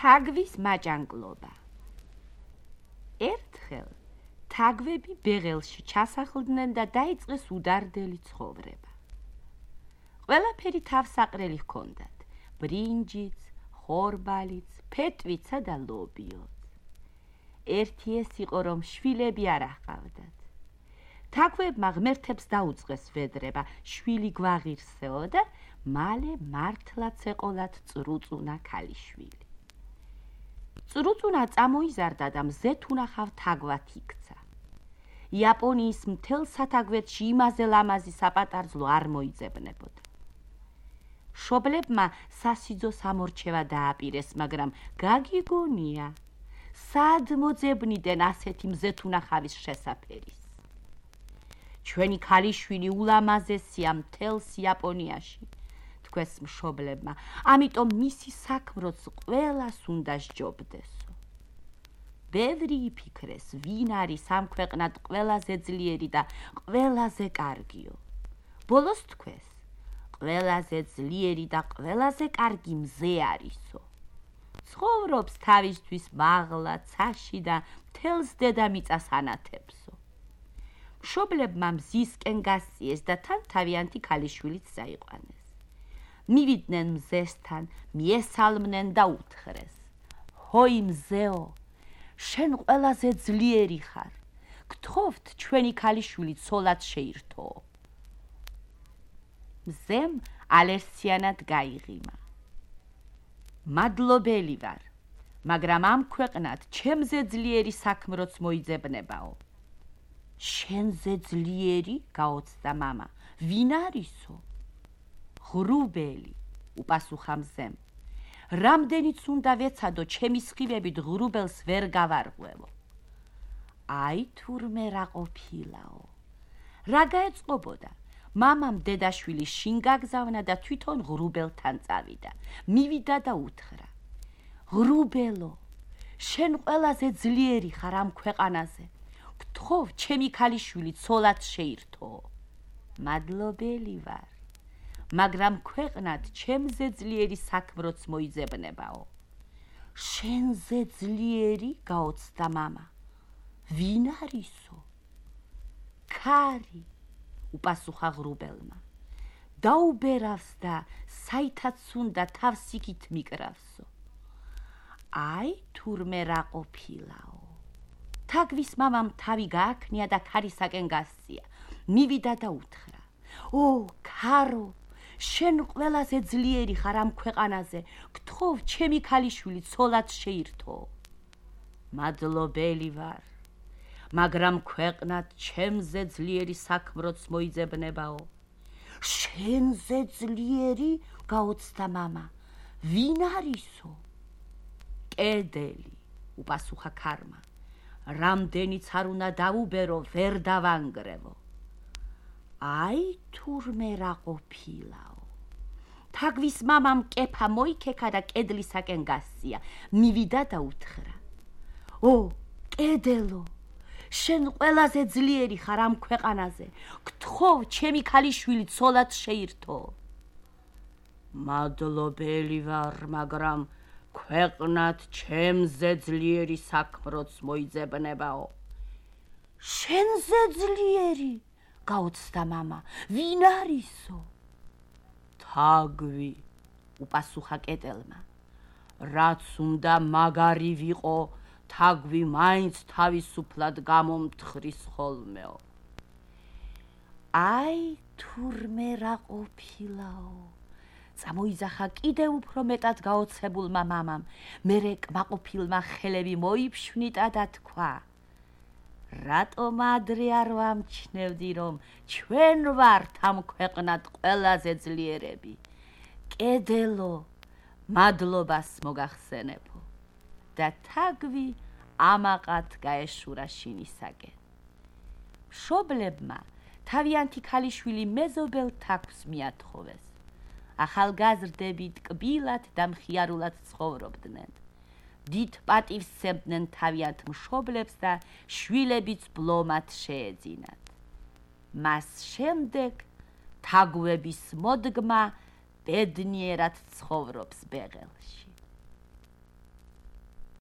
თაგვის მაჭანგლობა. ერთხელ თაგვები ბეღელში ჩასახლდნენ და დაიწყეს უდარდელი ცხოვრება. ყველაფერი თავსაყრელი ჰქონდათ: ბრინჯიც, ხორბალიც, ფეტვიცა და ლობიოც. ერთი ეს იყო, რომ შვილები არ აჰყავდათ. თაგვებმა ღმერთებს დაუწყეს ვედრება, შვილი გვაღირსეო და მალე მართლაც ეყოლათ წრუწუნა ქალიშვილი. წრუწუნა წამოიზარდა და მზეთ უნახავ თაგვად იქცა. იაპონიის მთელ სათაგვეთში იმაზე ლამაზი საპატარძლო არ მოიძებნებოდა. მშობლებმა სასიძო სამორჩევა დააპირეს, მაგრამ გაგიგონია, სად მოძებნიდნენ ასეთი მზეთ უნახავის შესაფერის. ჩვენი ქალიშვილი ულამაზესია მთელს იაპონიაში, თქვეს მშობლებმა, ამიტომ მისი საქმროც ყველას უნდა სჯობდესო. ბევრი იფიქრეს, ვინ არის ამ ქვეყნად ყველაზე ძლიერი და ყველაზე კარგიო. ბოლოს თქვეს, ყველაზე ძლიერი და ყველაზე კარგი მზე არისო. ცხოვრობს თავისთვის მაღლა, ცაში და მთელს დედამიწას ანათებსო. მშობლებმა მზისკენ გასწიეს და თან თავიანთი ქალიშვილიც წაიყვანეს. მივიდნენ მზესთან, მიესალმნენ და უთხრეს: ჰოი მზეო, შენ ყველაზე ძლიერი ხარ, გთხოვთ ჩვენი ქალიშვილი ცოლად შეირთო. მზემ ალერსიანად გაიღიმა: მადლობელი ვარ, მაგრამ ამ ქვეყნად ჩემზე ძლიერი საქმროც მოიძებნებაო. შენზე ძლიერი? გაოცდა მამა. ვინ არისო? ღრუბელი, უპასუხა მზემ. რამდენიც უნდა ვეცადო, ჩემი სხივებით ღრუბელს ვერ გავარღვევო. აი თურმე რა ყოფილაო. რა გაეწყობოდა? მამამ დედაშვილი შინ გაგზავნა და თვითონ ღრუბელთან წავიდა. მივიდა და უთხრა: ღრუბელო, შენ ყველაზე ძლიერი ხარ ამ ქვეყანაზე. გთხოვ ჩემი ქალიშვილი ცოლად შეირთო. მადლობელი ვარ, მაგრამ ქვეყნად ჩემზე ძლიერი საქმროც მოიძებნებაო. შენზე ძლიერი? გაოცდა მამა. ვინ არისო? ქარი, უპასუხა ღრუბელმა. დაუბერავს და საითაც უნდა თავს იქით მიკრავსო. აი თურმე რა ყოფილაო. თაგვის მამამ თავი გააქნია და ქარისაკენ გასწია. მივიდა და უთხრა: ო ქარო, შენ ყველაზე ძლიერი ხარ ამ ქვეყანაზე, გთხოვ ჩემი ქალიშვილი ცოლად შეირთო. მადლობელი ვარ, მაგრამ ქვეყნად ჩემზე ძლიერი საქმროც მოიძებნებაო. შენზე ძლიერი? გაოცდა მამა. ვინ არისო? კედელი, უპასუხა ქარმა. რამდენიც არ უნდა დაუბერო, ვერ დავანგრევო. აი თურმე რა ყოფილაო. თაგვის მამამ კეფა მოიქექა და კედლისაკენ გასწია. მივიდა და უთხრა: ო კედელო, შენ ყველაზე ძლიერი ხარ ამ ქვეყანაზე, გთხოვ ჩემი ქალიშვილი ცოლად შეირთო. მადლობელი ვარ, მაგრამ ქვეყნად ჩემზე ძლიერი საქმროც მოიძებნებაო. შენზე ძლიერი? გაოცდა მამა. ვინ არისო? თაგვი, უპასუხა კედელმა. რაც უნდა მაგარი ვიყო, თაგვი მაინც თავისუფლად გამომთხრის ხოლმეო. აი თურმე რა ყოფილაო. წამოიძახა კიდევ უფრო მეტად გაოცებულმა მამამ. მერე კმაყოფილმა ხელები მოიფშვნიტა და თქვა: რატომ ადრე არ ვამჩნევდი, რომ ჩვენ ვართ ამ ქვეყნად ყველაზე ძლიერები? კედელო, მადლობას მოგახსენებო. და თაგვი ამაყად გაეშურა შინისაკენ. მშობლებმა თავიანთი ქალიშვილი მეზობელ თაგვს მიათხოვეს. ახალგაზრდები ტკბილად და მხიარულად ცხოვრობდნენ. დიდ პატივს სცემდნენ თავიანთ მშობლებს და შვილებიც ბლომად შეეძინათ. მას შემდეგ თაგვების მოდგმა ბედნიერად ცხოვრობს ბეღელში.